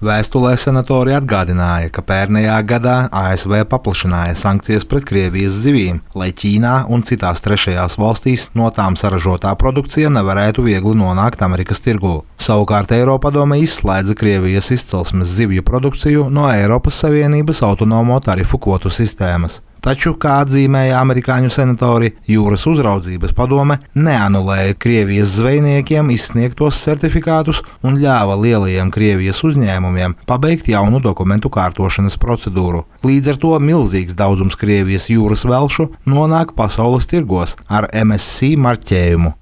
Vēstulē senatori atgādināja, ka pērnējā gadā ASV paplašināja sankcijas pret Krievijas zivīm, lai Ķīnā un citās trešajās valstīs no tām saražotā produkcija nevarētu viegli nonākt Amerikas tirgū. Savukārt Eiropadome izslēdza Krievijas izcelsmes zivju produkciju no Eiropas Savienības autonomo tarifu kvotu sistēmas. Taču, kā atzīmēja amerikāņu senatori, Jūras uzraudzības padome neanulēja Krievijas zvejniekiem izsniegtos certifikātus un ļāva lielajiem Krievijas uzņēmumiem pabeigt jaunu dokumentu kārtošanas procedūru. Līdz ar to milzīgs daudzums Krievijas jūras velšu nonāk pasaules tirgos ar MSC marķējumu.